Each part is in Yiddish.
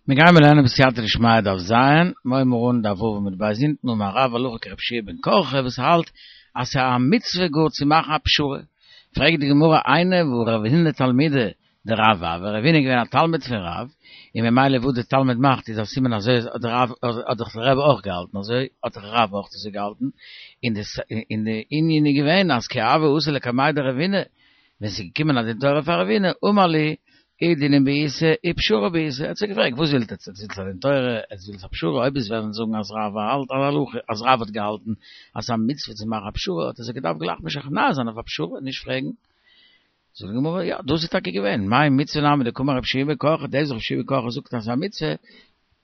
מיר גייען לערנען בסייעתא דשמיא דף ז, מיר הייבן אן דף ו' עמוד ב' אונטן אמר רב הלכה כרבי יהושע בן קרחה וואס האלט אז ס'איז א מצוה גאר צו מאכן א פשרה, פרעגט די גמרא איני והא רב הונא תלמידיה דרב הוה, רב הונא איז געווען א תלמיד פון רב, און ממילא וואס די תלמיד מאכט איז א סימן אזוי האט דער רב האט דאך דער רבי אויך געהאלטן אזוי האט דאך רב אויך אזוי געהאלטן, און די און די ענין איז געווען אז כי הוה אתא לקמיה דרב הונא, ווען ס'איז געקומען א דין תורה פאר רב הונא אמר להו אי דינא בעיתא אי פשרה בעיתא, ער האט זיי געפרעגט וואס ווילט עטץ, עטץ ווילטס א דין תורה, עטץ ווילטס א פשרה, אויב עטץ וועלן זאגן אז רב האלט א הלכה, אז רב האט געהאלטן אז ס'איז א מצוה צו מאכן א פשרה, האט ער זיי געדארפט גלייך משכנע זיין אויף א פשרה, נישט פרעגן. זאגט די גמרא, יא, דאס איז טאקע געווען, מאי מצוה נמי דקאמר רבי יהושע בן קרחה, דאס וואס רבי יהושע בן קרחה זאגט אז ס'איז א מצוה,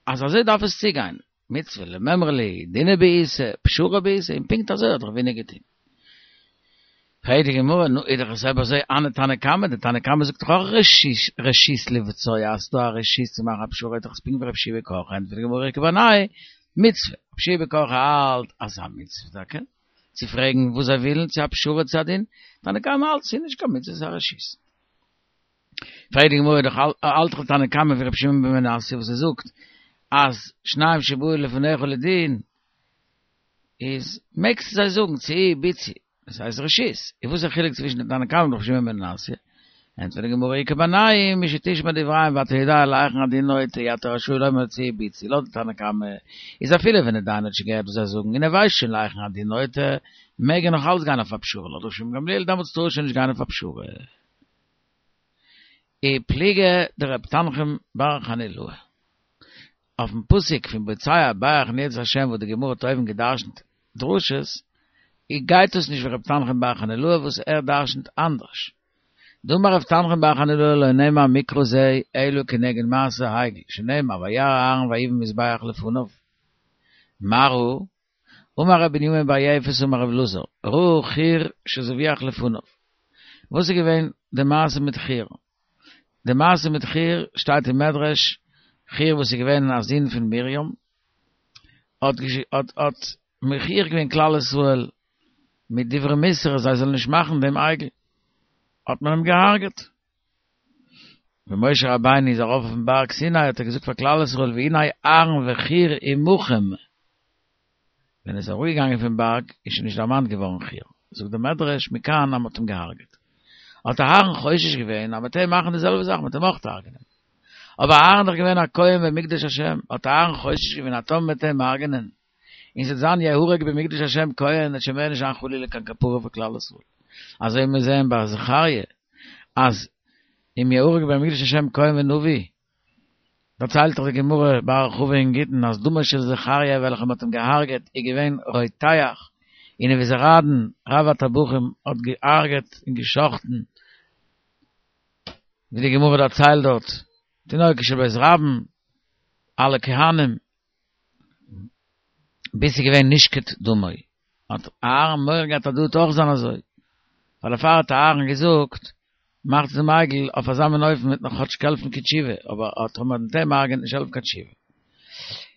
אז אזוי דארף עס צוגיין, מצוה למימרא להו, דינא בעיתא, פשרה בעיתא, און פונקט אזוי האט רב הונא געטון. פרעגט די גמרא, נו איז דאך עס אויב אזוי הני תנא קמא, די תנא קמא זאגט דאך אויך רשות רשות לבצוע אז ס'דא א רשות צו מאכן א פשרה איז דאך עס פונקט ווי רבי יהושע בן קרחה, ענטפערט די גמרא איכא בינייהו מצוה, רבי יהושע בן קרחה האלט אז ס'איז א מצוה טאקע צו פרעגן וואס זיי ווילן, צו א פשרה צו א דין, תנא קמא האלט ס'איז נישט קיין מצוה ס'איז א רשות. פרעגט די גמרא דאך האלט דאך תנא קמא ווי רבי שמעון בן מנסיא וואס ער זאגט אז שניים שבאו לפניך לדין איז מעגסטו זיי זאגן צאו בצעו דאס הייסט רשות, איז וואס איז די חילוק צווישן די תנא קמא און רבי שמעון בן מנסיא? ענטפערט די גמרא איכא בינייהו משתשמע דבריהם ואתה יודע להיכן הדין נוטה אי אתה רשאי לומר צאו בצעו לויט די תנא קמא איז אפילו ווען די דיין האט שוין געהערט וואס זיי זאגן און ער ווייסט שוין להיכן הדין נוטה מעג ער נאך אלץ גיין אויף א פשרה לויט רבי שמעון בן גמליאל דעמאלטס טאר ער שוין נישט גיין אויף א פשרה. ופליגא דרב תנחום בר חנילאי. אויפן פסוק פון בוצע ברך נרצה השם וואס די גמרא האט אויבן גע'דרש'נט דרשות, גייט דאס נישט ווי רב תנחום בר חנילאי וואס ער דרש'נט אנדערש. דאמר רב תנחום בר חנילאי לא נאמר מקרא זה אלא כנגד מעשה העגל, שנאמר וירא אהרן ויבן מזבח לפניו. מה ראה? אמר ר' בנימין בר יפת אמר ר' אלעזר, ראה חור שזובח לפניו. וואס איז געווען די מעשה מיט חור? די מעשה מיט חור שטייט אין מדרש, חור וואס איז געווען א זון פון מרים, האט האט מוכיח געווען כלל ישראל מיט דברי מוסר אז זיי זאלן נישט מאכן דעם עגל, האט מען אים געהארגעט. ווען משה רבינו איז ארויף אויפן בארג סיני האט ער געזאגט פאר כלל ישראל והנה אהרן וחור עמכם, ווען ער איז אראפגעגאנגען פון בארג איז שוין נישט דערמאנט געווארן חור, זאגט דער מדרש מכאן אז מען האט אים געהארגעט, האט אהרן חושש געווען אז מען וועט אים מאכן די זעלבע זאך, מען וועט אים אויך הרג'נען, אבער אהרן איז דאך געווען א כהן במקדש השם, האט אהרן חושש געווען אז טאמער מען וועט אים הרג'נען און ס'וועט זיין יהרג במקדש השם כהן, וועט שוין מער נישט זיין חלילה קיין כפרה פאר כלל ישראל. אזוי ווי מיר זעען ביי זכריה, אז אם יהרג במקדש השם כהן ונביא, דערציילט דאך די גמרא בהרחבה אין גיטין אז דמו של זכריה וועלכע מ'האט אים געהארגעט איז געווען רותח, און נבוזראדן רב הטבחים האט געהארגעט און גע'שחט'ן, ווי די גמרא דערציילט דארט, תינוקות של בית רבן, אלע כהנים. ביז ס'איז געווען נשקט דמו, האט אהרן מורא געהאט אז דא וועט אויך זיין אזוי, ווייל דערפאר האט אהרן געזאגט, מאכטס דעם עגל אויף אזא מין אופן וועט נאך כאטש העלפן קיין תשובה, אבער אט האט מען דעם הרג'ען נישט העלפן קיין תשובה.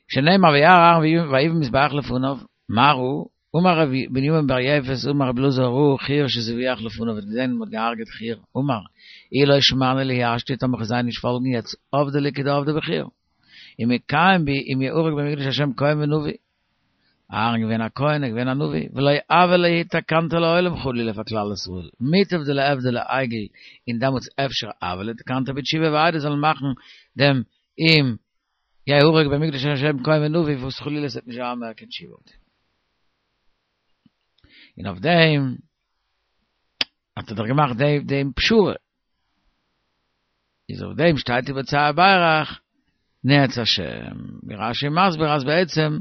שנאמר וירא אהרן ויבן מזבח לפניו, מה ראה? אמר ר' בנימין בר יפת אמר ר' אלעזר ראה חור שזובח לפניו האט געזען מען האט געהארגעט חור, אמר, אי לא שמענא להו השתא טאמער כ'וועל זיי נישט פאלגן יעצט עבדי להו כדעבדי בחור. ומקיים בי אם יהרג במקדש השם כהן ונביא. אהרן געווען א כהן, ער געווען א נביא, ולא הוה להו תקנתא לעולם חלילה פאר כלל ישראל, מוטב דלעבדו לעגל, און דעמאלטס אפשר הוה להו תקנתא בתשובה ווי איידער זאלן מאכן דעם אם יהרג במקדש השם כהן ונביא וואס חלילה עס וועט נישט זיין מער קיין תשובה אויף דעם. און אויף דעם האט ער דאך געמאכט דעם פשרה. איז אויף דעם שטייט ובוצע ברך נאץ השם, ווי רש"י מסביר אז בעצם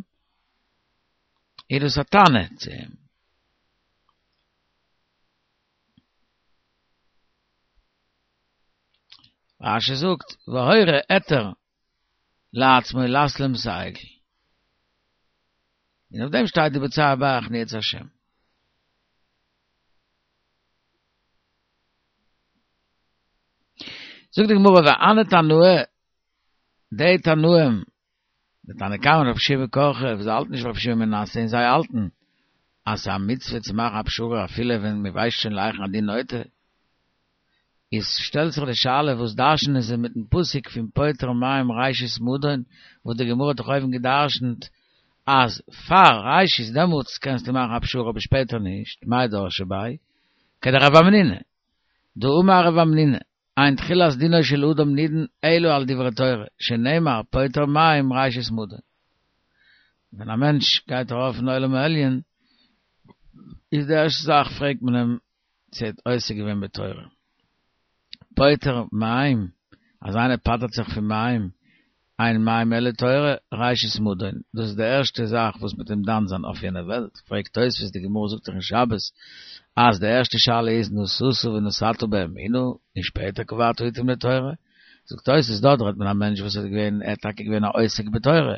איז דאס א טענה צו אים. רש"י זאגט והורה היתר לעצמו לעשות להם את העגל. און אויף דעם שטייט ובוצע ברך נאץ השם. זאגט די גמרא והני תנאי, די תנאים, די תנא קמא און רבי יהושע בן קרחה, וואס זיי האלטן נישט ווי רבי שמעון בן מנסיא און זיי האלטן אז ס'איז א מצוה צו מאכן א פשרה אפילו ווען מ'ווייסט שוין להיכן הדין נוטה. איז שטעלט זיך די שאלה וואס דרש'נען זיי מיטן פסוק פון פוטר מים ראשית מדון וואס די גמרא האט דאך אויבן געדרש'נט אז פאר ראשית דעמאלטס קענסטו מאכן א פשרה אבער שפעטער נישט, מאי דרשי ביה? כדרב המנונא, דאמר רב המנונא, אין תחילת דינו של אדם נידון אלא על דברי תורה, שנאמר פוטר מים ראשית מדון. ווען א מענטש גייט ארויף אין עולם העליון איז די ערשטע זאך פרעגט מען אים צו ער האט עוסק געווען בתורה. פוטר מים, אז איינער פטר'ט זיך פון מים, אין מים אלא תורה, ראשית מדון, דאס איז די ערשטע זאך וואס מ'וועט אים דן זיין אויף יענע וועלט, פרעגט תוספות, די גמרא זאגט דאך אין שבת אז די ערשטע שאלה איז נשאת ונתת באמונה, און שפעטער קבעת עתים לתורה, זאגט תוספות דארט רעדט מען א מענטש וואס האט געווען, ער האט טאקע געווען א עוסק בתורה, ער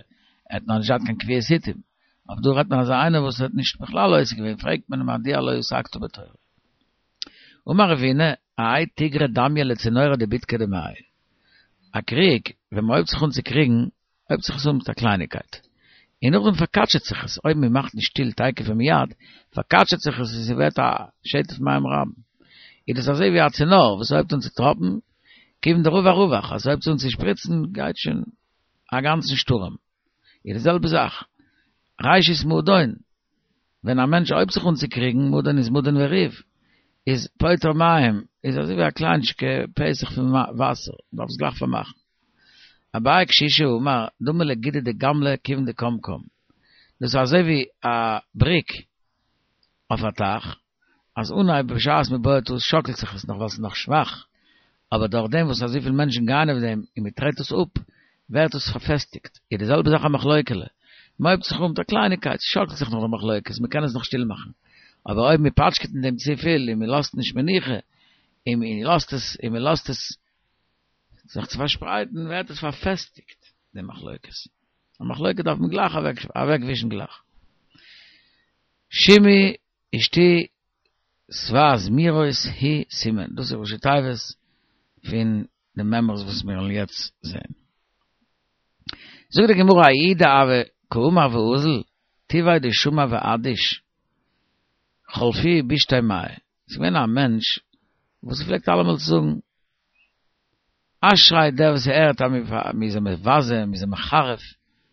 האט נאר נישט געהאט קיין קביעות עתים, אבער דא רעדט מען אזא איינער וואס האט נישט בכלל עוסק געווען, פרעגט מען אים מדוע לא עסקת בתורה. אמר רבינא, האי תיגרא דמיא לצינורא דבידקא דמיא. א קריג, ווען מען הויבט זיך אן צו קריגן, הויבט זיך עס אן מיט א קלייניקייט. און נאכדעם פארקאטשעט זיך עס, אויב מען מאכט נישט שטיל תיכף ומיד, פארקאטשעט זיך עס און ס'ווערט א שטף מים רבים. איז דאס אזוי ווי א צינור וואס הויבט אן צו טראפן, כיוון דרווח רווח, אז ס'הויבט אן צו שפריצן גייט שוין א גאנצן שטורעם. איז די זעלבע זאך, ראשית מדון, ווען א מענטש הויבט זיך אן צו קריגן, מדון איז מדון וריב, איז פוטר מים, איז אזוי ווי א קליינטשיקע פתח פון וואסער, מ'דארף עס גלייך פארמאכן. אביי קשישא אמר, דמי לגידא דגמלא כיוון דקם קם. דאס איז אזוי ווי א בריק אויף א טייך, אז אנהייב בשעת מען בויעט עס שאקלט זיך עס נאך ווייל ס'איז נאך שוואך, אבער דורך דעם וואס אזויפיל מענטשן גייען אויף דעם און מען טרעט עס אפ, ווערט עס פארפעסטיגט. איז די זעלבע זאך א מחלוקה'לע, מען הויבט זיך אן מיט א קלייניקייט, ס'שאקלט זיך נאך די מחלוקת, מען קען עס נאך שטיל מאכן, אבער אויב מען פאטשקעט אין דעם צופיל און מען לאזט נישט מנוחה, און מען לאזט עס און מען לאזט עס זיך צו פארשפרייטן, ווערט עס פארפעסטיגט די מחלוקת. א מחלוקת דארף מען גלייך אוועקווישן גלייך. שמעי ושתי שבע זמירות הוא סימן, דאס איז ראשי תיבות פון די מימרות וואס מיר וועלן יעצט זען. זאגט די גמרא ההוא דהוה קאמר ואזיל, טבעיה דשמע ואדיש, חלפוהו בשתי מאה, ס'איז געווען א מענטש וואס פלעגט אלעמאל צו זאגן אשרי דער וואס הערט אז מ'איז אים מבזה, מ'איז אים מחרף,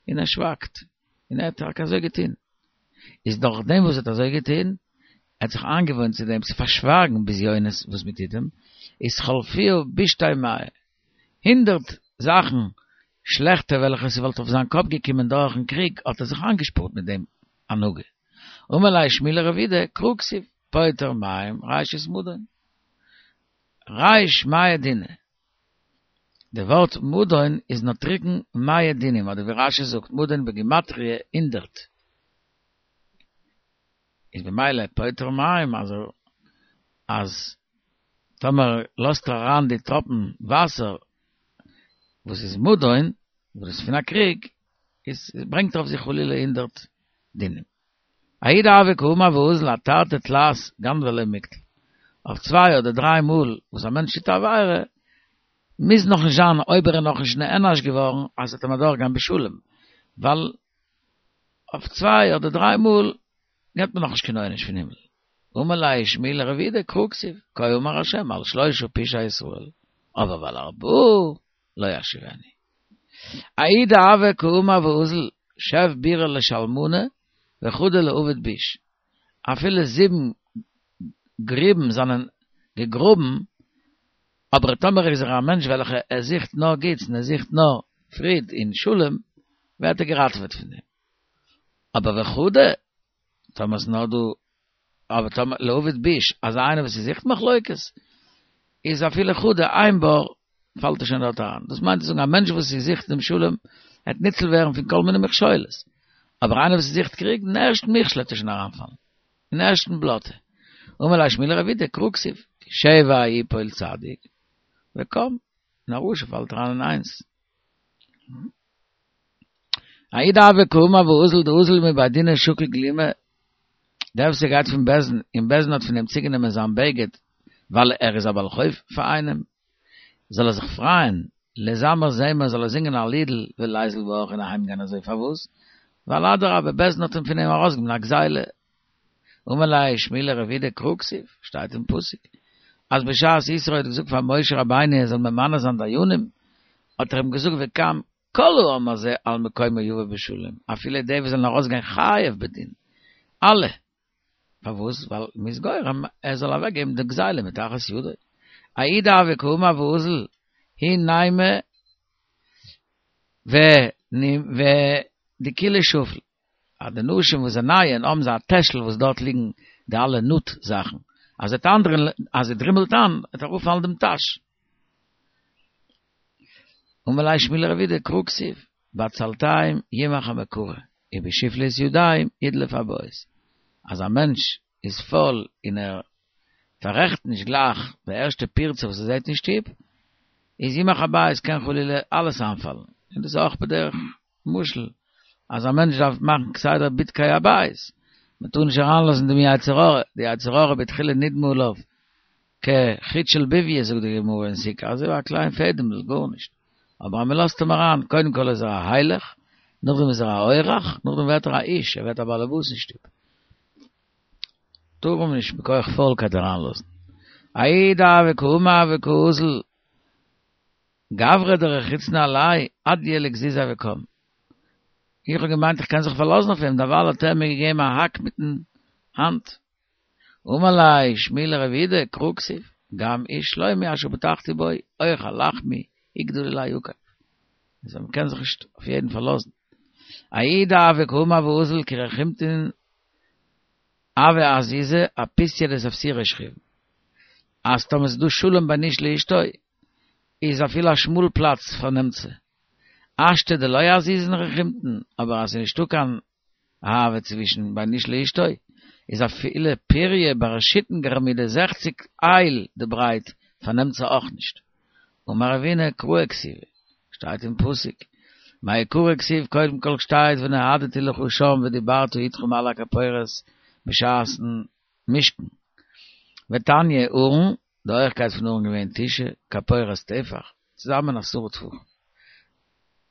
און ער שווייגט, און ער האט טאקע אזוי געטון. איז דורך דעם וואס ער האט אזוי געטון, ער האט זיך איינגעוואוינט צו דעם צו פארשווייגן בזיונות וואס מען טוט אים, איז חלפוהו בשתי מאה, הונדרעט זאכן שלעכטע וועלכע ס'וואלט אויף זיין קאפ געקומען דורכן קריג האט ער זיך איינגעשפארט מיט דעם הנהגה. אמר ליה שמואל לרב יהודה, קרא כתיב, פוטר מים ראשית מדון. ריש מאה דיני. די ווארט מדון איז נוטריקון מאה דינים, אדער ווי רשי זאגט מדון בגימטריא הונדרעט. איז במילא פוטר מים אז אז טאמער לאזט ער אריין די טראפן וואסער וואס איז מדון, וואס איז פון א קריג, איז ברענגט ער אויף זיך חלילה הונדרעט דינים. ההוא דהוה קאמר ואזיל אתרתי תלת גנבי ליה מקטל. אויף צוויי אדער דריי מאל וואס א מענטש טוט א עבירה, מוז נאך נישט זיין אויב ער איז נאך נישט נענש געווארן אז ס'וועט אים אדורך גיין בשלום, ווייל אויף צוויי אדער דריי מאל געבט מען נאך נישט קיין עונש פון הימל. אמר ליה שמואל לרב יהודה קרא כתיב, כה אמר ה' על שלשה פשעי ישראל, אבער ועל ארבעה לא אשיבנו. ההוא דהוה קאמר ואזיל שב בירי לשלמנא וחדא לעביד ביש, אפילו זיבן גריבן זענען געגראבן, אבער טאמער איז ער א מענטש וועלכע ער זוכט נאר גוטס און ער זוכט נאר פריד און שלום, ווערט ער געראטעוועט פון דעם. אבער וחדא, טאמער איז נאר דא אבער טאמער לעביד ביש, אז איינער וואס זוכט מחלוקת, איז אפילו חדא איין בור, פאלט ער שוין דארט אריין. דאס מיינט צו זאגן א מענטש וואס זוכט דעם שלום, וועט ניצל ווערן פון כל מיני מכשולות. אבער איינער וואס זוכט קריג, אין ערשטן מכשול וועט ער שוין אריינפאלן. אין ערשטן בלאטע. אמר ליה שמואל לרב יהודה, קרא כתיב, שבע יפול צדיק, וקם, און א רשע פאלט אריין אין איינס. ההוא דהוה קאמר ואזיל דאזיל מבי דינא שקיל גלימא, דער וואס ער גייט פון בית דין און בית דין האט פון אים צוגענומען זיין בגד ווייל ער איז א בעל חוב פאר איינעם, זאל ער זיך פרייען, לזמר זמר זאל ער זינגען א לידל וליזיל בהך און אהיים גיין אזוי פארוואס? ווייל אדרבה בית דין האט אים פון אים ארויסגענומען א גזילה. אמר ליה שמואל לרב יהודה קרא כתיב, שטייט אין פסוק. אז בשעת יתרו האט געזאגט פאר משה רבינו ער זאל ממנה זיין דיינים, האט ער אים געזאגט וגם כל העם הזה על מקומו יבא בשלום, אפילו די וואס זאלן ארויסגיין חייב בדין, אלע. פארוואס? ווייל מ'איז גורם ער זאל אוועקגעבן די גזילה מתחת ידו. ההוא דהוה קאמר ואזיל, היא נימא ודכולא שפיל. אז די נשים וואס זיי נייען האבן זיי א טעשל וואס דארט ליגן די אלע נאט זאכן, אז זי אז זי דרימלט איין וועט אראפפאלן דעם טאש. אמר ליה שמואל לרב יהודה קרא כתיב, בעצלתיים ימח המקרה, ובשפלות ידיים ידלוף הבית. אז א מענטש איז פויל און ער פאררעכט נישט גלייך די ערשטע פירצה וואס ער זעט אין שטוב, איז ימח הבית קען חלילה אלעס איינפאלן, און דאס איז אויך בדרך משל, אז א מענטש דארף מאכן כסדר בדקי הבית, מען טאר נישט אריינלאזן דעם יצר הרע, די יצר הרע בתחילה נדמה עליו כחוט של בויה זאגט די גמרא אין סוכה, אזוי ווי א קליין פעדעמל, גארנישט, אבער אז מען לאזט אים אריין, קודם כל איז ער א הילך, נאכדעם איז ער א אורח, נאכדעם ווערט ער א איש, ער ווערט א בעל הבית אין שטוב. טאר מען נישט מכח פוילקייט אריינלאזן. ההוא דהוה קאמר וקאזיל גברא דרחיצנא עליה אדייה לגזיזיה וקם. איך האב געמיינט איך קען זיך פארלאזן אויף אים, דערווייל האט ער מיר געגעבן א האק מיטן האנט. אמר ליה שמואל לרב יהודה קרא כתיב, גם איש שלומי אשר בטחתי בו אוכל לחמי יגדל עלי עקב. אז מען קען זיך נישט אויף יעדן פארלאזן. ההוא דהוה קאמר ואזיל כי רחימטין הוה אזיזא אפיתיא דספסירא שכיב. אז טאמער ס'איז דא שלום בין איש לאשתו, איז אפילו א שמאל פלאץ פארנעמט זי. השתא דלא אזיזין רחימטין, אבער אז ס'איז נישטא קיין אהבה צווישן בין איש לאשתו, איז אפילו פוריא בר שיתין גרמידי זעכציק אייל די ברייט פארנעמט זי אויך נישט. אמר רבינא קראי כתיבי, שטייט אין פסוק, מעיקרא כתיב קודם כל שטייט ונועדתי לך שם ודיברתי אתך מעל הכפורת בשעת'ן משכן. ותניא ארון, די הויכקייט פון ארון געווען תשעה, כפורת טפח, צוזאמען עשרה טפחים.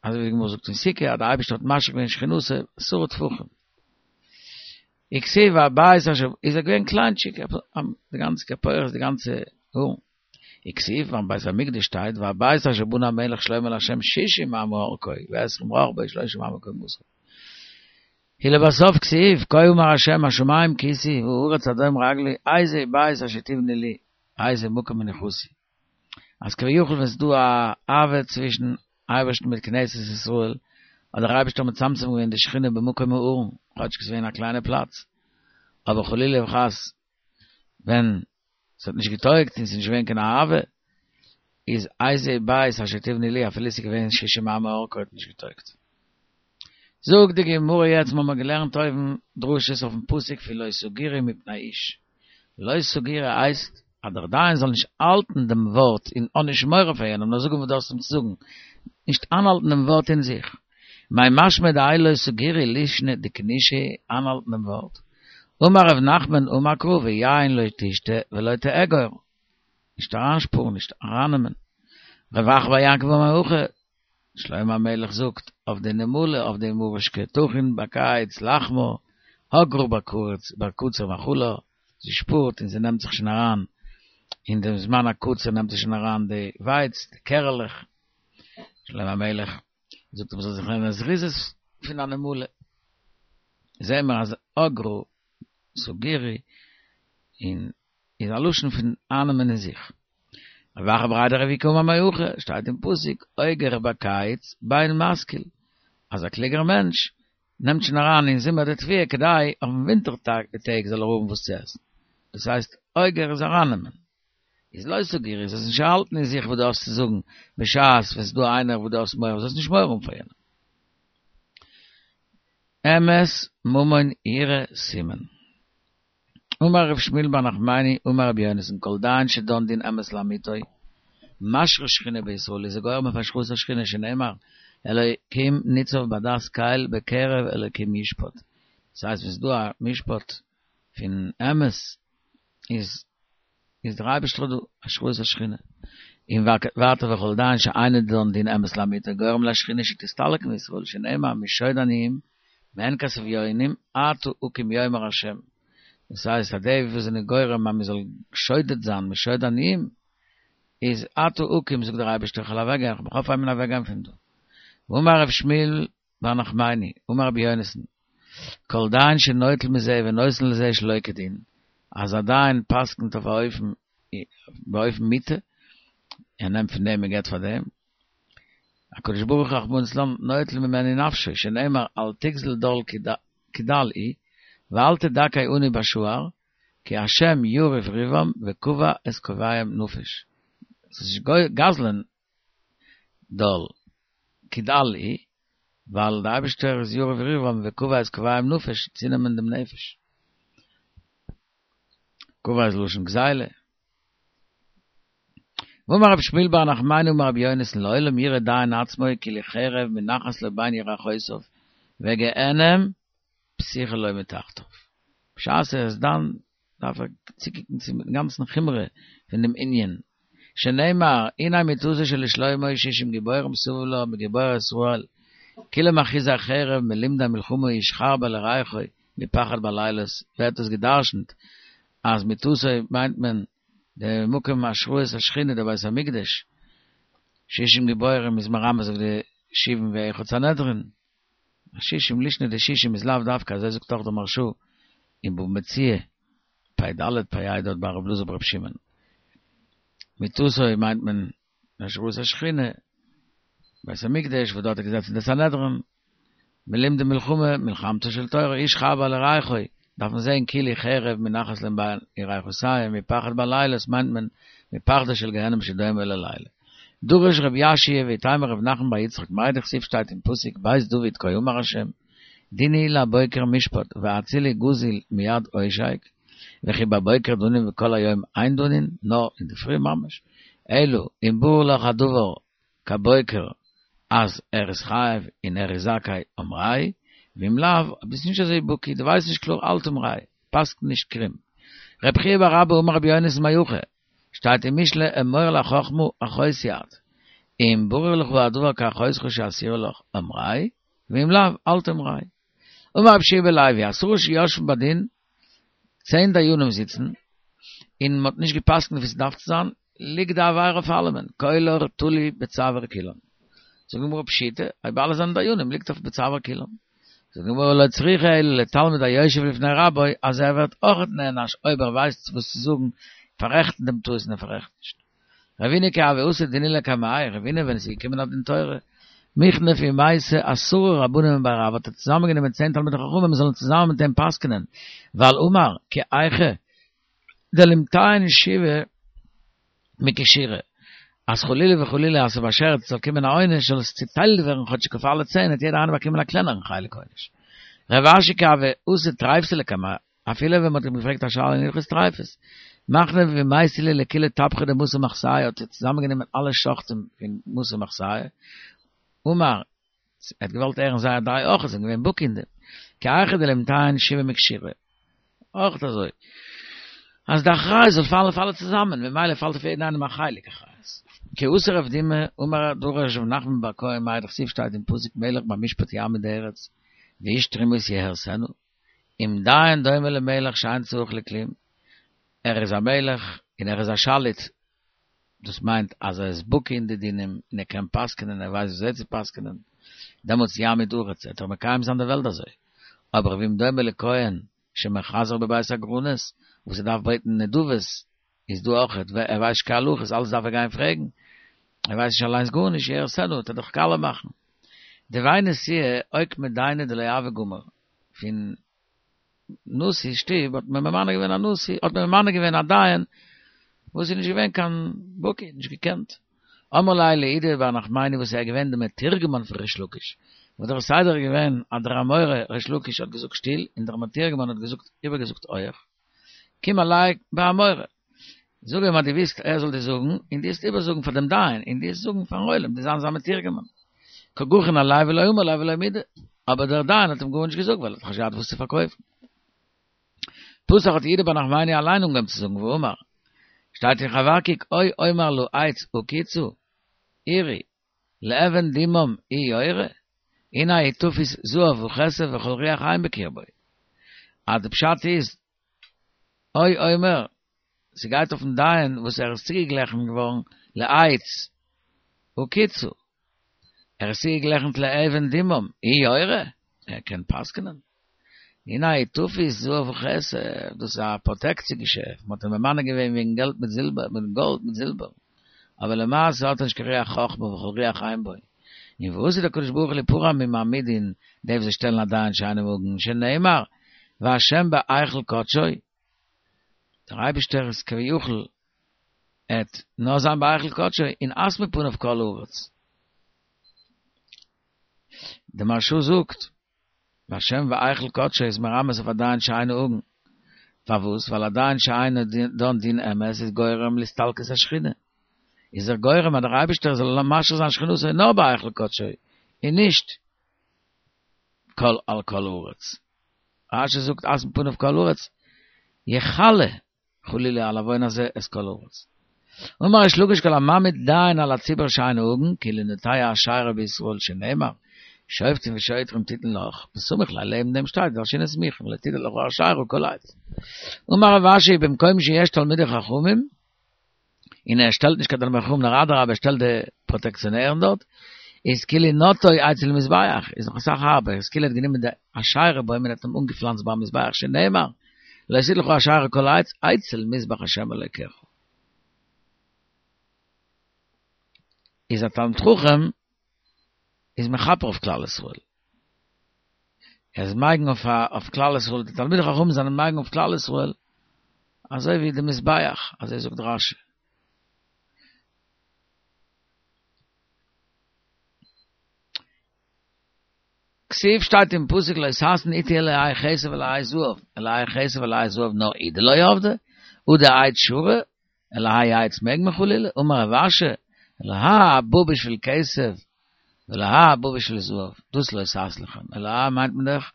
אזוי ווי די גמרא זאגט אין סוכה אז די אייבערשטער האט משרה געווען שכינתו עשרה טפחים. וכתיב והבית אשר איז ער געווען קליינטשיק, די גאנצע כפורת די גאנצע ארון. וכתיב ביים בית המקדש שטייט והבית אשר בנה המלך שלמה לה' שישים אמה אורכו ועשרים רחבו ושלושים אמה קומתו. ולבסוף כתיב כה אמר ה' השמים כסאי והארץ הדום רגלי איזה בית אשר תבנו לי איזה מקום מנוחתי. אז כביכול ווען ס'איז דא א אהבה צווישן אייבערשטן מיט כנסת ישראל האט דער אייבערשטער מצמצם געווען די שכינה במקום הארון כאטשיג ס'איז געווען א קליינע פלאץ אבער חלילה וחס ווען ס'האט נישט געטויגט און ס'איז נישט געווען קיין אהבה, איז איזה בית אשר תבנו לי אפילו ס'איז געווען שישים אמה אורכו האט נישט געטויגט. זאגט די גמרא יעצט מ'האמער געלערנט אויבן דרשות אויפן פסוק פון לא תגורו מפני איש, לא תגורו הייסט אז דער דיין זאל נישט האלטן דעם ווארט און האב נישט מורא פאר יענעם נאר זאג אים וואס דו האסט אים צו זאגן, נישט איינהאלטן דעם ווארט אין זיך. מאי משמע דהאי לא תגורו לישנא דכנישא איינהאלטן דעם ווארט. אמר ר' נחמן אמר קרא ויין לא תשתה ולא תאגור, נישט אריינשפארן נישט ארייננעמען. רב אחא בר יעקב אמר הכי, שלמה המלך זאגט אויף די נמלה אויף די מוראשקע תכין בקיץ לחמה, אגרה בקציר מאכלה, זי שפארט און זי נעמט זיך שוין אריין אין דעם זמן הקציר נעמט זי שוין אריין די ווייץ, די קערעלעך. שלמה המלך זאגט מ'זאל זיך לערנען זריזות פון א נמלה. זעהן מיר אז אגרה תגורו און איז א לשון פון אייננעמען אין זיך. רב אחא בריה דרב איקא אמר מהכא, שטייט אין פסוק אוגר בקיץ בין משכיל, אז א קלוגער מענטש נעמט שוין אריין אין זומער די תבואה כדי אויפן ווינטער טעג זאל ער האבן וואס צו עסן. דאס הייסט אוגר איז ארייננעמען. איז לא תגורו, זאלסט נישט האלטן אין זיך וואס דו האסט צו זאגן, בשעת ווען ס'איז דא איינער וואס דו האסט מורא, זאלסט נישט מורא האבן פאר יענעם. אמת ממון יראה סימן. אמר ר' שמואל בר נחמני אמר רבי יונתן כל דיין שדן דין אמת לאמיתו משרה שכינה בישראל איז ער גורם אויף השראת השכינה שנאמר אלוקים ניצב בעדת קל בקרב אלוקים ישפוט דאס הייסט ווען ס'איז דא א משפט פון אמת איז איז דער אייבערשטער דא, השראת השכינה. און ווייטער וכל דיין שאינו דן דין אמת לאמיתו גורם לשכינה שתסתלק מישראל שנאמר משוד עניים מעין כסף אביונים אתה הקים יאמר השם. דאס הייסט אז די וואס זענען גורם אז מען זאל שודד זיין, משוד עניים, איז עתה אקים זאגט דער אייבערשטער איך וועל אוועק גיין, איך וועל מיך אויפהייבן און אוועק גיין פון דא. ואמר ר' שמואל בר נחמני, אמר רבי יונתן, כל דיין שנוטל מזה ונותן לזה שלא כדין, אז א דיין פסק'נט אויף א אופן באופן מוטה, ער נעמט פון דעם און געבט פאר דעם, הקדוש ברוך הוא רחמנא ליצלן נוטל ממנו נפשו, שנאמר אל תגזל דל כי דל הוא, ואל תדכא עני בשער, כי השם יריב ריבם וקבע את קובעיהם נפש. ס'איז נישט גזל'ען דל כי דל הוא, ווייל די אייבישטער איז יריב ריבם וקבע את קובעיהם נפש, צונעמען דעם נפש. קבע איז לשון גזילה. ואמר רבי שמואל בר נחמני אמר רבי יונתן לעולם יראה דיין עצמו כאילו חרב מונחת לו בין ירכותיו וגיהנם פתוחה לו מתחתיו. בשעת ער איז דן דארף ער צוקוקן צום גאנצן חומרא פון דעם ענין, שנאמר הנה מטתו של שלמה שישים גיבורים סביב לה מגיבורי ישראל כולם אחוזי חרב מלומדי מלחמה איש חרבו לירכו מפחד בלילות, ווערט דאס גע'דרש'נט אז מטתו מיינט מען די מקום השראת השכינה די בית המקדש, שישים גיבורים איז מרמז אויף די שבעים ואחד סנהדרין, שישים לישנא דשישים איז לאו דווקא, אזוי זאגט אויך דער מהרשא אין בבא מציעא, פ"ד פ"ה דארט ביי רבי אלעזר ברבי שמעון. מטתו מיינט מען השראת השכינה, בית המקדש וואס דארט איז געזעצן די סנהדרין, מלומדי מלחמה, מלחמתה של תורה, איש חרבו לירכו, דארף מען זען כאילו חרב מונחת להם בין ירכותיהם, מפחד בלילות מיינט מען מפחדו של גיהנם שדומה ללילה. דרש רבי יאשיה ואיתימא רב נחמן בר יצחק מאי דכתיב שטייט אין פסוק בית דוד כה אמר השם דיני לבוקר משפט והצילי גזול מיד עושק וכי בבוקר דנין וכל היום אין דנין נאר אינדערפרי ממש אלא אם ברור לך הדבר כבוקר אז ער איז חייב און ער איז זכאי אמרוה ואם לאו ביסט נישט אזוי בקי דו ווייסט נישט קלאר אל תמרוה פסק'ן נישט קרום רבי חייא בר אבא אמר רבי יונתן מהכא שטייט אין משלי אמור לחכמה אחותי את, אם ברור לך הדבר כאחותך שאסורה לך אמרוה, ואם לאו אל תמרוה. אמר רבי יהושע בן לוי, עשרה שיושבין בדין, צען דיינים זיצן, און מ'האט נישט גע'פסק'נט ווי ס'דארף צו זיין, ליגט די עבירה אויף אלעמען, קולר תלוי בצוואר כולם. זאגט די גמרא פשיטא, אויב אלע זענען דיינים ליגט אויף בצוואר כולם. זאגט די גמרא לא צריכא אלא לתלמיד היושב לפני רבו אז ער ווערט אויכעט נענש אויב ער ווייסט וואס צו זאגן פאררעכטן דעם טעות און ער פאררעכט נישט. רבינא כי הוה אתי דינא לקמיה, רבינא ווען עס איז געקומען א דין תורה, מכנף ומייתי עשרה רבנן מבי רב האט ער צוזאמען גענומען צען תלמידי חכמים זאלן צוזאמען מיט אים פסק'נען ווייל אמר כי היכי דלימטיין שבעה מכשירא, אז חלילה וחלילה אז ס'באשערט ס'זאל קומען א עונש זאל עס צוטיילט ווערן כאטשיג אויף אלע צען וועט יעדער איינער באקומען א קלענערן חלק עונש. רב אשי כי הוה אתי טריפתא לקמיה, אפילו ווען מ'האט אים געפרעגט א שאלה אין הלכות טריפות, מכנף ומייתי להו לכולהו טבחי דמתא מחסיא האט ער צוזאמענגענומען אלע שוחטים פון מתא מחסיא, אמר, ער האט געוואלט הערן זייער דעה אויך, זיי זענען געווען בקי אין דעם, כי היכי דלימטיין שבעה מכשירא. אויך אזוי. אז די אחריות זאל פאלן אויף אלע צוזאמען, ממילא פאלט אויף יעדן איינעם א חלק אחריות. כי אתא רב דימי, אמר דרש רב נחמן בר כהן מאי דכתיב שטייט אין פסוק מלך במשפט יעמיד ארץ, ואיש תרומות יהרסנה, אם דיין דומה למלך שאין צריך לכלום, ער איז א מלך און ער איז א שליט, דאס מיינט אז ער איז בקי אין די דינים און ער קען פסק'נען, ער ווייסט וויאזוי צו פסק'נען, דעמאלטס יעמיד ארץ, וועט ער מקיים זיין די וועלט אזוי. אבער ואם דומה לכהן שמחזר בבית הגרנות, וואס ער דארף בעטן נדבות, איז דא אויכעט, ער ווייסט נישט קיין הלכות, אלעס דארף ער גיין פרעגן, ער ווייסט נישט אליינס גארנישט, יהרסנה, וועט ער דאך קאליע מאכן. דבי נשיאה אוקמה דיינא דלא הוה גמיר, פון נשיא שטוב האט מען ממנה געווען א נשיא, האט מען ממנה געווען א דיין וואס איז נישט געווען קיין בקי, נישט געקענט. אמר ליה ליהודה בר נחמני וואס איז געווען די מתורגמן פון ריש לקיש, וואס דער סדר איז געווען אז דער אמורא ריש לקיש האט געזאגט שטיל און דער מתורגמן האט געזאגט איבערגעזאגט הויעך, קום עלי באמורא, זאג אים אז דו ווילסט ער זאל דיר זאגן, און דו וועסט איבערזאגן פאר דעם דיין, און דו וועסט זאגן פארן עולם, דו זיין זיין מתורגמן. קא גחין עליה ולא אמר ליה ולא מידי, אבער דער דיין האט אים גארנישט געזאגט ווייל ער האט נישט געהאט וואס צו פארקויפן. פתח האט יהודה בר נחמני אליין אנגעהויבן צו זאגן ואמר, שטייט אין חבקוק או אומר לעץ הקיצו, עורי, לאבן דומם הוא יורה, הנה הוא תפוש זהב וכסף וכל רוח חיים בקרבו. אז די פשט איז. או אומר, ס'גייט אויפן דיין וואס ער איז צוגעגליכן געווארן לעץ הקיצו, ער איז צוגעגליכנט לאבן דומם, הוא יורה, ער קען פסק'נען. הנה תפוש זהב וכסף, דאס איז א פראטעקציע געשעפט, מ'האט אים ממנה געווען וועגן געלט מיט זילבער, מיט גאלד מיט זילבער, אבער למעשה האט ער נישט קיין רוח חכמה וכל רוח אין בו. און ועתיד הקדוש ברוך הוא ליפרע ממעמידין, די וואס זיי שטעלן א דיין שאינו הגון, שנאמר, והשם בהיכל קדשו, דער אייבישטער איז כביכול עט נאר זיין בהיכל קדשו און הס מפניו כל הארץ. די מהרשא זאגט, והשם בהיכל קדשו איז מרמז אויף א דיין שאינו הגון. פארוואס? ווייל א דיין שאינו דן דין אמת איז גורם להסתלקות השכינה. איז ער גורם אז דער אייבישטער זאל משרה זיין שכינותו נאר בהיכל קדשו און נישט כל על כל הארץ. רשי זאגט הס מפניו כל הארץ יכלה חלילה על עוון הזה את כל הארץ. אמר ריש לקיש כל המעמיד דיין על הציבור שאינו הגון כאילו נוטע אשרה בישראל שנאמר שופטים ושוטרים תתן לך וסמיך ליה לעבן דעם שטייט דרשינן סמוכין לא תיטע לך אשרה כל עץ. אמר רב אשי במקום שיש תלמידי חכמים און ער שטעלט נישט קיין תלמידי חכמים נאר אדרבה ער שטעלט די פראטעקציאנערן דארט, איז כאילו נוטעו אצל מזבח, איז נאך אסאך הארבער, איז כאילו ער האט גענומען די אשרה בוים און האט אים אנגעפלאנצט ביים מזבח שנאמר לא תטע לך אשרה כל עץ אצל מזבח השם אלוקיך. איז א תלמיד חכם איז מכפר אויף כלל ישראל. ער איז מגין אויף כלל ישראל, די תלמידי חכמים זענען מגין אויף כלל ישראל, אזוי ווי די מזבח, אזוי זאגט רשי. כתיב שטייט אין פסוק לא תעשון אתי אלהי כסף ואלהי זהב, אלהי כסף ואלהי זהב נאר הוא דלא עבדי, הא דעץ שרי, אלהי עץ מעג מען חלילה, אמר רב אשי, אלהי הבא בשביל כסף, ואלהי הבא בשביל זהב, דאס לא תעשון לכם, אלהי מיינט מען דאך,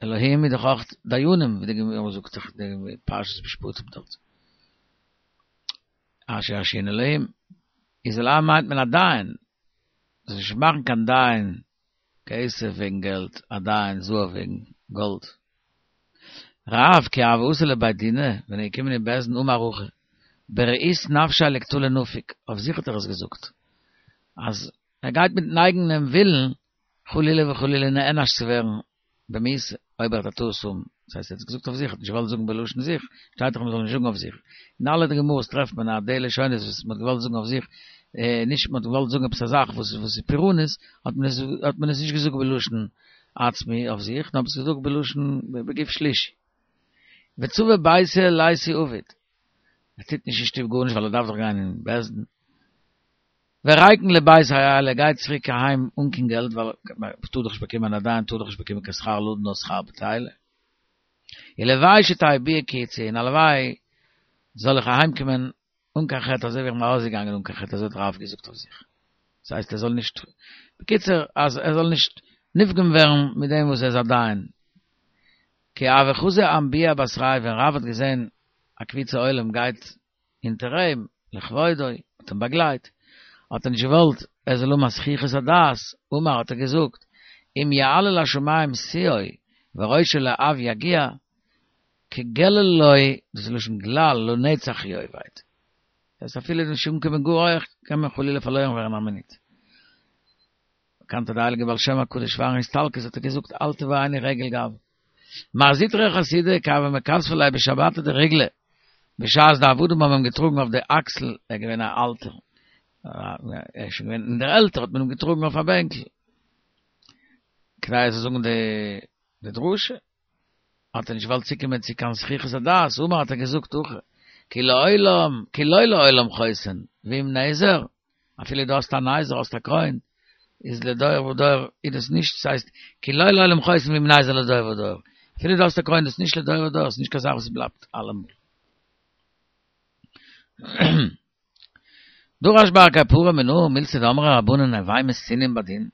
אלהים איז דאך אויך דיינים, ווי די גמרא זאגט דאך די פרשת משפטים דארט. אשר ירשיעון אלהים, איז אלהי מיינט מען א דיין, זאלסט נישט מאכן קיין דיין כסף וועגן געלט, א דיין זהב וועגן גאלד. רב כי הוה אתי לבי דינא, ווען ער איז געקומען אין בית דין אמר הכי, ברעות נפשיה לקטלא נפיק, אויף זיך האט ער עס געזאגט, אז ער גייט מיטן אייגענעם ווילן חלילה וחלילה נענש צו ווערן במיתה, אויב ער האט א טעות האבן, דאס הייסט ער האט עס געזאגט אויף זיך, ער האט נישט געוואלט זאגן בלשון זיך, שטייט דאך מען זאל נישט זאגן אויף זיך, אין אלע די גמרות טרעפט מען אז די לשונות וואס מען האט געוואלט זאגן אויף זיך, נישט מען האט געוואלט זאגן עפעס א זאך וואס איז פורענות, האט מען עס האט מען עס נישט געזאגט בלשון עצמי אויף זיך, נאר מען האט עס געזאגט בלשון בגוף שלישי. וצבא ביתיה ליתי עביד, ער טוט נישט אין שטוב גארנישט ווייל ער דארף דאך גיין אין בית דין. וריקן לביתיה עייל ער גייט צוריק אהיים אן קיין געלט ווייל מען טאר דאך נישט באקומען א דיין טאר דאך נישט באקומען קיין שכר לדון נאר שכר בטילה. ולוואי שתהא ביאה כיציאה און הלוואי זאל איך אהיים קומען אן קיין חטא אזוי ווי איך בין ארויסגעגאנגען אן קיין חטא אזוי האט רב געזאגט אויף זיך. דאס הייסט ער זאל נישט בקיצור אז ער זאל נישט נפגם ווערן מיט דעם וואס ער איז א דיין. כי הוה חזי אמבוהא בתריה ווען רב האט געזען א קבוצה עולם גייט הינטער אים, לכבודו, האט אים באגלייט, האט ער נישט געוואלט ער זאל האבן א זחיחות הדעת, אמר האט ער געזאגט, אם יעלה לשמים שיאו וראשו לעב יגיע, כגללו, דאס איז לשון גלל, לנצח יאבד. דאס הייסט אפילו נישט אנקומען גאר הויך, קען מען חלילה פארלוירן ווערן א מינוט. באקאנט אז די הייליגע בעל שם הקדוש פארן הסתלקות האט ער געזאגט אל תבואני רגל גאוה. מר זוטרא חסידא כי הוו מכספי ליה בשבתא דריגלא, בשעת די עבדים האבן אים געטראגן אויף די אקסל, ער איז געווען א אלטער, ער איז שוין געווען אין דער עלטער האט מען אים געטראגן אויף א בענקל, כדי ער זאל זאגן די דרשה. האט ער נישט געוואלט צוקומען צו קיין זחיחות הדעת, אמר האט ער געזאגט הכי, כי לעולם, כי לא לעולם חוסן, ואם נזר, אפילו דו האסט א נזר, האסט א קרוין, איז לדור ודור איז דאס נישט, ס'הייסט, כי לא לעולם חוסן ואם נזר לדור ודור, אפילו דו האסט א קרוין דאס נישט לדור ודור, ס'איז נישט קיין זאך וואס בלייבט אלעמאל. דרש בר קפרא מנא מילתא דאמרי רבנן הוי מתינין בדין,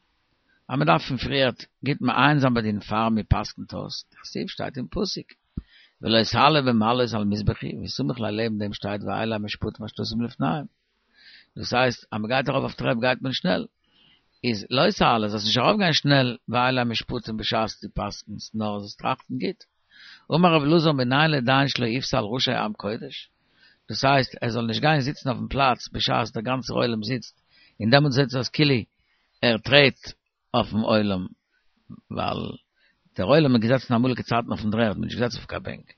אז מען דארף פון פריערט גוט מעיין זיין בדין פאר מען פסק'נט אויס, דכתיב שטייט אין פסוק ולא תעלה במעלות על מזבחי, וסמיך ליה לעבן דעם שטייט ואלה המשפטים אשר תשים לפניהם. דאס הייסט אז מען גייט ארויף אויף טרעפ גייט מען שנעל, איז לא תעלה זאלסט נישט ארויף גיין שנעל ואלה המשפטים בשעת דו פסק'נסט נאר זאלסט טראכטן גוט. אמר רבי אלעזר מנין לדיין שלא יפסע על ראשי עם קודש? דאס הייסט ער זאל נישט גיין זיצן אויפן פלאץ בשעת דער גאנצער עולם זיצט, און דעמאלטס זעט זיך אויס כאילו ער טרעט אויפן עולם, ווייל דער עולם איז געזעצן אמאליגע צייטן אויפן דר'ערד, מ'איז נישט געזעצן אויף קיין בענק,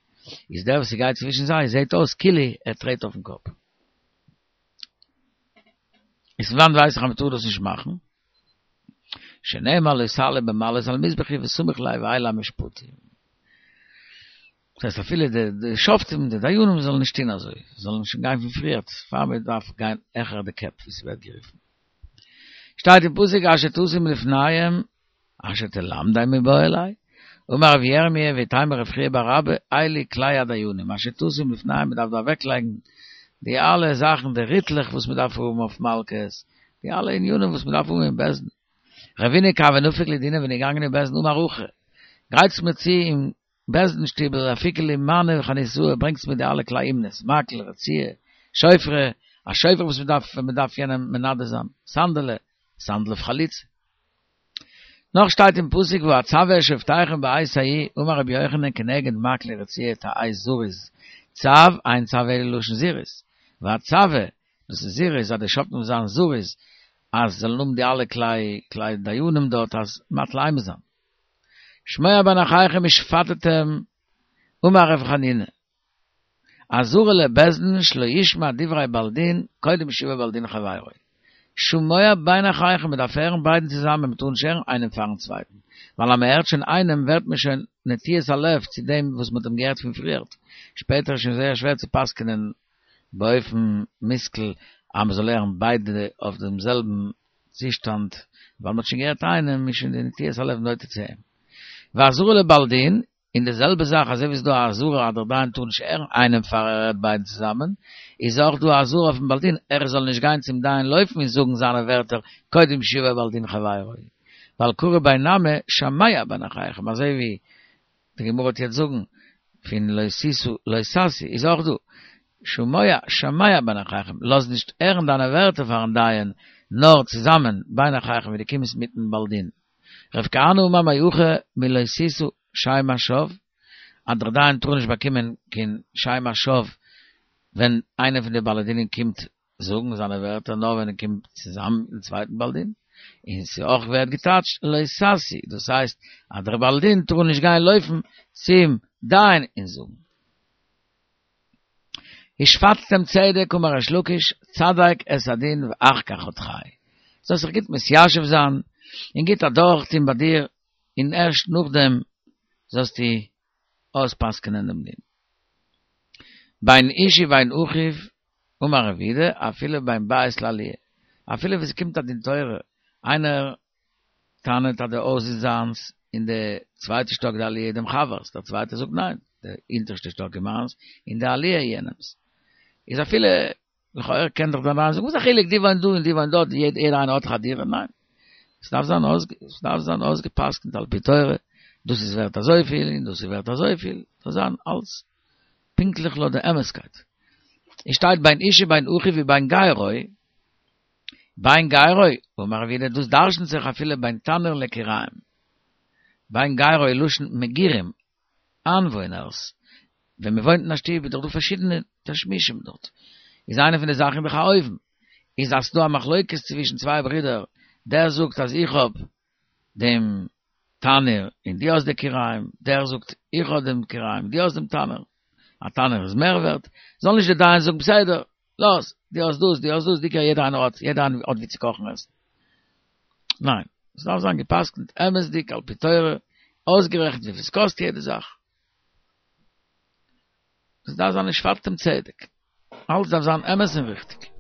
איז דער וואס ס'גייט צווישן זיי זעט אויס כאילו ער טרעט אויפן קאפ. איז פון וואנט ווייס איך אז מ'טאר דאס נישט מאכן? שנאמר לא תעלה במעלות על מזבחי וסמיך ליה ואלה המשפטים. דאס הייסט אפילו די די שופטים די דיינים זאלן נישט טון אזוי, זאלן שוין גיין פון פריערט פאר מען דארף גיין העכער די קעפ ווי ס'ווערט גערופן. שטייט אין פסוק אשר תשים לפניהם אשר תלמדם מיבעי ליה, אמר רבי ירמי' ואיתימא רב חייא בר אבא אלו כלי הדיינים אשר תשים לפניהם מען דארף דא אוועקלייגן די אלע זאכן די ריטלעך וואס מען דארף האבן אויף מלקות, די אלע ענינים וואס מען דארף האבן אין בית דין. רבינא כי הוה נפיק לדינא ווען ער איז געגאנגען אין בית דין אמר הכי, גרייטס מיר צו אין בית דין שטיבל אפיקו לי מנא וחניתאי ברענגטס מיר די אלע כלי אומנות, מקל, רציעה, שופרא, א שופר וואס מען דארף ווען מען דארף יענעם מנדה זיין, סנדלא, סנדל אויף חליצה. נאך שטייט אין פסוק ואצוה את שופטיכם בעת ההיא, אמר רבי יוחנן כנגד מקל ורציעה תהא זריז, צו, אין צו אלא לשון זירוז, ואצוה, דאס איז זירוז אז די שופטים זאלן זיין זריז, אז זאלן האבן די אלע כלי כלי דיינים דארט אז מטיל אימה זיין. שמוע בין אחיכם ושפטתם אמר רב חנינא אזהרה לבית דין שלא ישמע דברי בעל דין קודם שיבא בעל דין חברו. שמוע בין אחיכם מען דארף הערן ביידן צוזאמען מען טאר נישט הערן איינעם פארן צווייטן ווייל אז מען הערט שוין איינעם ווערט מען שוין נטיית הלב צו דעם וואס מען האט אים געהערט פון פריערט שפעטער איז שוין זייער שווער צו פסק'נען באופן מושכל אז מען זאל הערן ביידע אויף דעם זעלבן צושטאנד, ווייל מ'האט שוין געהערט איינעם איז שוין די נטיית הלב נוטה צו אים. ואזהרה לבעל דין, און די זעלבע זאך אזוי ווי ס'איז דא א אזהרה אז דער דיין טאר נישט הערן איינעם פאר ער הערט ביידן צוזאמען, איז אויך דא א אזהרה אויפן בעל דין ער זאל נישט גיין צום דיין לויפן און זאגן זיינע ווערטער קודם שיבא בעל דין חברו, ווייל קרי ביה נמי שמע בין אחיכם אזוי ווי די גמרא וועט יעצט זאגן פון לא תשא לא תשיא איז אויך דא שמוע שמע בין אחיכם לאז נישט הערן דיינע ווערטער פארן דיין נאר צוזאמען בין אחיכם ווי דו קומסט מיטן בעל דין רב כהנא אמר מהכא מלא תשא שם השוא אז דער דיין טאר נישט באקומען קיין שם השוא ווען איינער פון די בעלי דינים קומט זאגן זיינע ווערטער נאר ווען ער קומט צוזאמען מיטן צווייטן בעל דין, און ס'אויך ווערט געטייטשט לא תשיא, דאס הייסט אז דער בעל דין טאר נישט גיין לויפן צום דיין און זאגן. ושפטתם צדק אמר ריש לקיש, צדק את הדין ואחר כך הטחהו. זאלסט זיך גוט מתיישב זיין און גוט אדורכטון ביי דיר, און ערשט נאכדעם זאלסטו אויספסק'נען דעם דין. בין איש ובין אחיו אמר רב יהודה, אפילו בין בית לעליה, אפילו ווען ס'קומט א דין תורה, איינער טענה'ט אז די הויז איז זיינס און די צווייטע שטאק די עליה איז דעם חבר'ס, דער צווייטער זאגט ניין, די אונטערשטע שטאק איז מיינס און די עליה איז יענעמ'ס, איז אפילו לכאורה קען דאך דער דיין זאגן וואס א חילוק די וואוינט דא און די וואוינט דארט, יעדער איינער האט דאך א דירה, ניין, ס'דארף זיין ס'דארף זיין אויסגע'פסק'נט על פי תורה, דאס איז ווערט אזויפיל און דאס איז ווערט אזויפיל, ס'זאל זיין אלס פונקטליך לויט די אמת'קייט. עס שטייט בין איש ובין אחיו ובין גרו, בין גרו, אמר רב יהודה דאס דרש'נט זיך אפילו בין תנור לכיריים. בין גרו איז לשון מגורים, איינוואוינערס. ווען מען וואוינט אין א שטוב איז דאך דא פארשידענע תשמישים דארט. איז איינע פון די זאכן דאך א אויוון. איז אז ס'דא א מחלוקת צווישן צוויי ברידער, דער זאגט אז איך האב דעם תנור און דו האסט די כיריים, דער זאגט איך האב דעם כיריים דו האסט דעם תנור, א תנור איז מער ווערט, זאל נישט דער דיין זאגן בסדר, לאז, דו האסט דאס, דו האסט דאס, די כיריים, יעדער איינער האט, יעדער איינער האט ווי צו קאכן עסן. ניין, עס דארף זיין גע'פסק'נט אמת'דיג על פי תורה, אויסגערעכנט וויפיל עס קאסט יעדע זאך. עס דארף זיין ושפטתם צדק, אלעס דארף זיין אמת און ריכטיג.